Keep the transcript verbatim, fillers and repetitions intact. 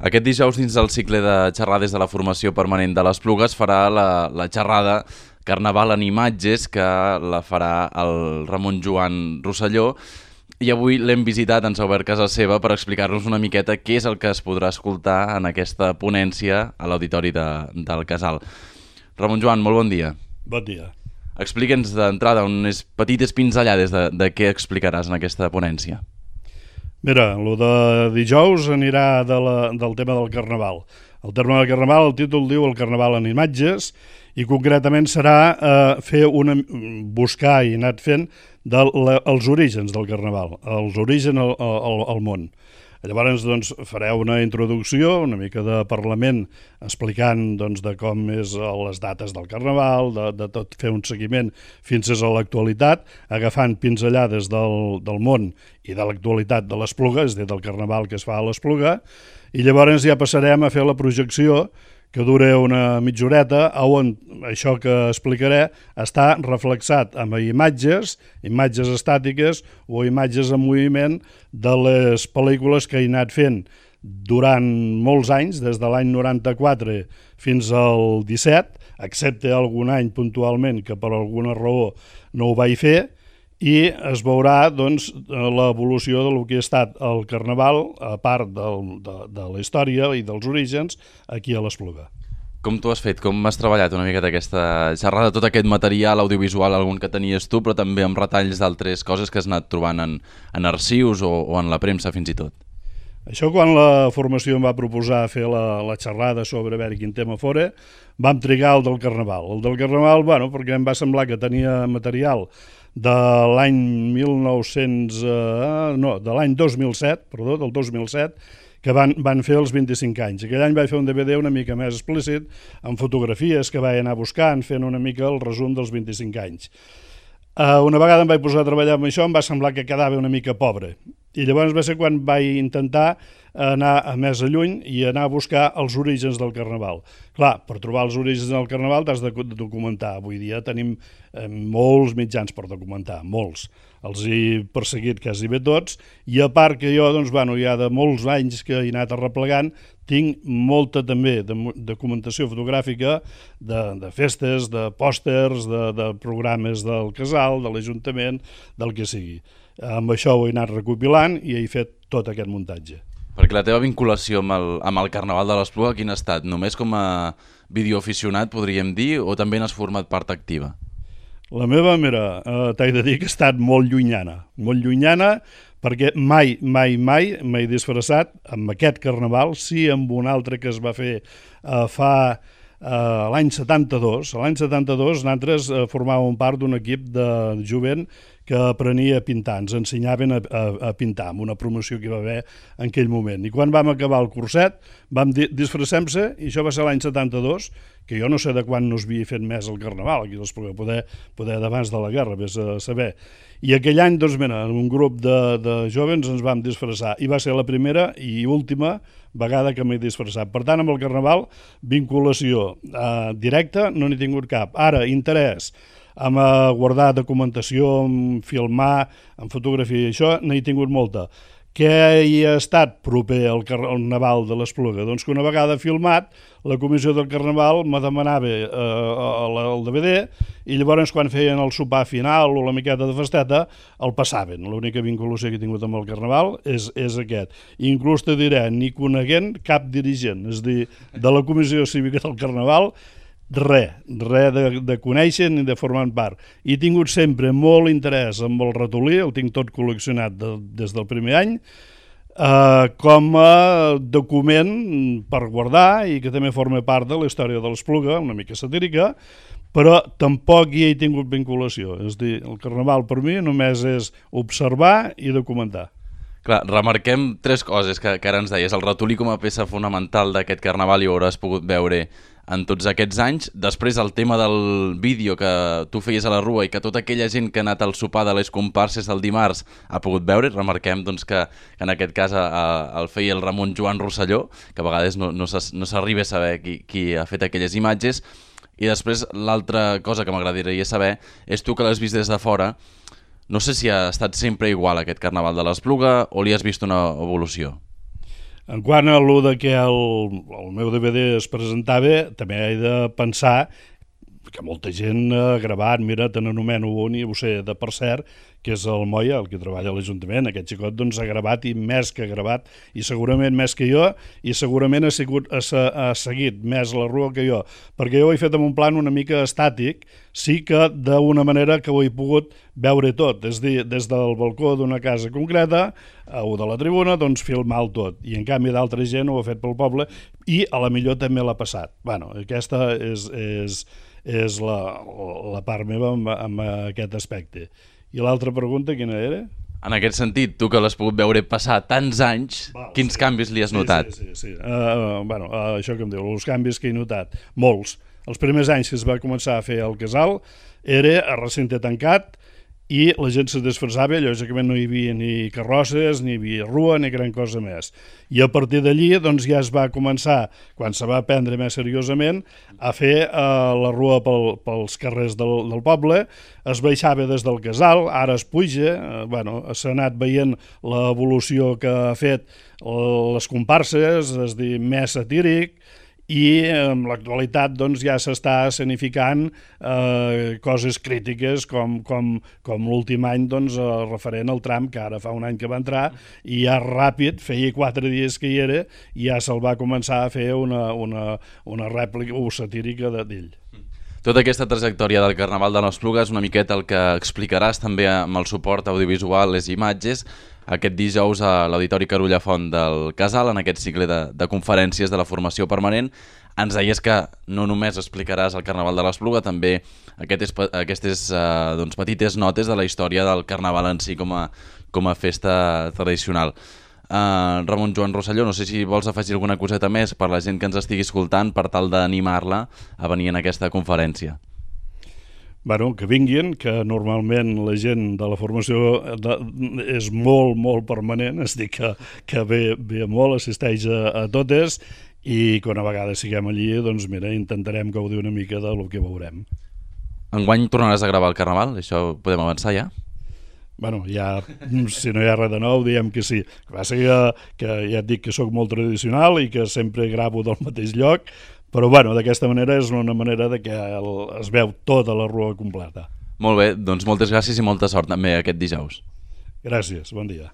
Aquest dijous, dins del cicle de xerrades de la formació permanent de l'Espluga, es farà la, la xerrada Carnaval en imatges, que la farà el Ramon Joan Rosselló, i avui l'hem visitat, ens ha obert casa seva per explicar-nos una miqueta què és el que es podrà escoltar en aquesta ponència a l'auditori de, del Casal. Ramon Joan, molt bon dia. Bon dia. Explica'ns d'entrada unes petites pinzellades de, de què explicaràs en aquesta ponència. Mira, el de dijous anirà de la, del tema del Carnaval. El tema del Carnaval, el títol diu el Carnaval en imatges, i concretament serà eh, fer una, buscar i anar fent de la, els orígens del Carnaval, els orígens al, al, al món. Llavors doncs, fareu una introducció, una mica de parlament, explicant doncs, de com és les dates del Carnaval, de, de tot fer un seguiment fins a l'actualitat, agafant pinzellades del, del món i de l'actualitat de l'Espluga, és a dir, del Carnaval que es fa a l'Espluga, i llavors ja passarem a fer la projecció, que dura una mitja horeta, on això que explicaré està reflexat amb imatges, imatges estàtiques o imatges en moviment de les pel·lícules que he anat fent durant molts anys, des de l'any noranta-quatre fins al disset, excepte algun any puntualment que per alguna raó no ho vaig fer, i es veurà doncs, l'evolució del que ha estat el Carnaval, a part del, de, de la història i dels orígens, aquí a l'Espluga. Com t'ho has fet? Com has treballat una miqueta aquesta xerrada, tot aquest material audiovisual, algun que tenies tu, però també amb retalls d'altres coses que has anat trobant en, en arxius o, o en la premsa fins i tot? Això quan la formació em va proposar fer la, la xerrada sobre a veure quin tema fora, vam trigar el del Carnaval. El del Carnaval, bueno, perquè em va semblar que tenia material de l'any mil nou-cents, eh, no, de l'any dos mil set, perdó, del dos mil set, que van, van fer els vint-i-cinc anys. Aquell any vaig fer un D V D una mica més explícit, amb fotografies que vaig anar buscant, fent una mica el resum dels vint-i-cinc anys. Uh, una vegada em vaig posar a treballar amb això, em va semblar que quedava una mica pobre. I llavors va ser quan vaig intentar anar a més a lluny i anar a buscar els orígens del Carnaval. Clar, per trobar els orígens del Carnaval t'has de documentar. Avui dia tenim eh, molts mitjans per documentar, molts. Els he perseguit quasi bé tots, i a part que jo, doncs, bueno, ja de molts anys que he anat arreplegant, tinc molta també de documentació fotogràfica de, de festes, de pòsters, de, de programes del Casal, de l'Ajuntament, del que sigui. Amb això ho he anat recopilant i he fet tot aquest muntatge. Perquè la teva vinculació amb el, amb el Carnaval de l'Espluga, quin ha estat? Només com a videoaficionat, podríem dir, o també n'has format part activa? La meva, mira, eh, t'he de dir que ha estat molt llunyana, molt llunyana, perquè mai, mai, mai m'he disfressat amb aquest Carnaval, sí amb un altre que es va fer eh, fa eh, l'any setanta-dos. L'any setanta-dos nosaltres eh, formàvem part d'un equip de jovent que aprenia a pintar, ens ensenyaven a, a, a pintar, amb una promoció que hi va haver en aquell moment. I quan vam acabar el curset, vam disfressem-se, i això va ser l'any setanta-dos, que jo no sé de quan no es havia fet més el Carnaval, aquí poder, poder, poder d'abans de la guerra, vés a saber. I aquell any, doncs, mira, un grup de, de jovens ens vam disfressar, i va ser la primera i última vegada que m'he disfressat. Per tant, amb el Carnaval, vinculació eh, directa no n'he tingut cap. Ara, interès, amb guardar documentació, amb filmar, amb fotografia, i això n'he tingut molta. Què hi ha estat proper al Carnaval de l'Espluga? Doncs que una vegada filmat, la comissió del Carnaval me demanava eh, el D V D, i llavors quan feien el sopar final o la miqueta de festeta, el passaven. L'única vinculació que he tingut amb el Carnaval és, és aquest. I inclús te diré, ni coneguent cap dirigent, és a dir, de la comissió cívica del Carnaval, res, res de, de conèixer ni de formar part. He tingut sempre molt interès amb el ratolí, el tinc tot col·leccionat de, des del primer any, eh, com a document per guardar i que també forma part de la història de l'Espluga, una mica satírica, però tampoc hi he tingut vinculació. És a dir, el Carnaval per mi només és observar i documentar. Clar, remarquem tres coses que, que ara ens deies. El ratolí com a peça fonamental d'aquest Carnaval i ho hauràs pogut veure en tots aquests anys. Després el tema del vídeo que tu feies a la Rua i que tota aquella gent que ha anat al sopar de les comparses el dimarts ha pogut veure. Remarquem doncs, que, que en aquest cas a, a, el feia el Ramon Joan Rosselló, que a vegades no, no s'arriba a saber qui, qui ha fet aquelles imatges. I després l'altra cosa que m'agradaria saber és tu que l'has vist des de fora. No sé si ha estat sempre igual aquest Carnaval de l'Espluga o li has vist una evolució. En quant a allò de que el, el meu D V D es presentava, també he de pensar que molta gent ha gravat, mira, te n'anomeno un i ho sé de per cert, que és el Moya, el que treballa a l'Ajuntament. Aquest xicot doncs, ha gravat i més que ha gravat, i segurament més que jo, i segurament ha, sigut, ha, ha seguit més la rua que jo, perquè jo ho he fet en un plan una mica estàtic, sí que d'una manera que ho he pogut veure tot, és a dir, des del balcó d'una casa concreta o de la tribuna, doncs filmar el tot, i en canvi d'altra gent ho ha fet pel poble i a la millor també l'ha passat. Bueno, aquesta és, és, és la, la part meva amb, amb aquest aspecte. I l'altra pregunta quina era? En aquest sentit, tu que l'has pogut veure passar tants anys, Val, quins sí. canvis li has notat? Sí, sí, sí. sí. Uh, bueno, uh, això que em diu, els canvis que he notat, molts. Els primers anys que es va començar a fer el casal era a recinte tancat i la gent se disfressava, lògicament no hi havia ni carrosses, ni hi havia rua, ni gran cosa més. I a partir d'allí doncs, ja es va començar, quan se va prendre més seriosament, a fer eh, la rua pel, pels carrers del, del poble, es baixava des del casal, ara es puja, eh, bueno, s'ha anat veient l'evolució que ha fet les comparses, és a dir, més satíric, i en l'actualitat doncs, ja s'està escenificant eh, coses crítiques com, com, com l'últim any doncs, eh, referent al tram, que ara fa un any que va entrar, i ja ràpid, feia quatre dies que hi era, i ja se'l va començar a fer una, una, una rèplica o satírica d'ell. Tota aquesta trajectòria del Carnaval de l'Espluga és una miqueta el que explicaràs també amb el suport audiovisual, les imatges, aquest dijous a l'Auditori Carulla Font del Casal, en aquest cicle de, de conferències de la formació permanent. Ens deies que no només explicaràs el Carnaval de l'Espluga, també aquestes, aquestes uh, doncs, petites notes de la història del Carnaval en si com a, com a festa tradicional. Uh, Ramon Joan Rosselló, no sé si vols afegir alguna coseta més per la gent que ens estigui escoltant per tal d'animar-la a venir en aquesta conferència. Bueno, que vinguin, que normalment la gent de la formació de, és molt, molt permanent, és a dir, que, que ve, ve molt, assisteix a, a totes, i que una vegada siguem allí, doncs mira, intentarem gaudir una mica del que veurem. Enguany tornaràs a gravar el Carnaval? Això podem avançar ja? Bueno, ja, si no hi ha res de nou, diem que sí. El que passa que, que ja et dic que sóc molt tradicional i que sempre gravo del mateix lloc, però bueno, d'aquesta manera és una manera de que el, es veu tota la rua completa. Molt bé, doncs moltes gràcies i molta sort també aquest dijous. Gràcies, bon dia.